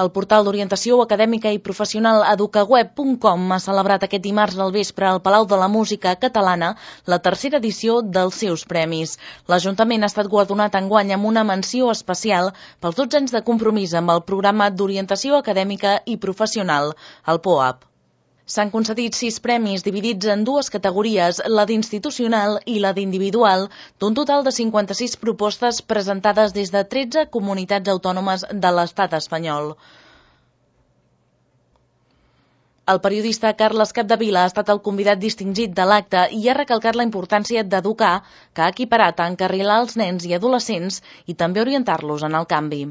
El portal d'orientació acadèmica i professional educaweb.com ha celebrat aquest dimarts al vespre al Palau de la Música Catalana la tercera edició dels seus premis. L'Ajuntament ha estat guardonat enguany amb una menció especial pels 12 anys de compromís amb el programa d'orientació acadèmica i professional, el POAP. S'han concedit 6 premis dividits en dues categories, la d'institucional i la d'individual, d'un total de 56 propostes presentades des de 13 comunitats autònomes de l'estat espanyol. El periodista Carles Capdevila ha estat el convidat distingit de l'acte i ha recalcat la importància d'educar, que ha equiparat a encarrilar els nens i adolescents i també orientar-los en el canvi.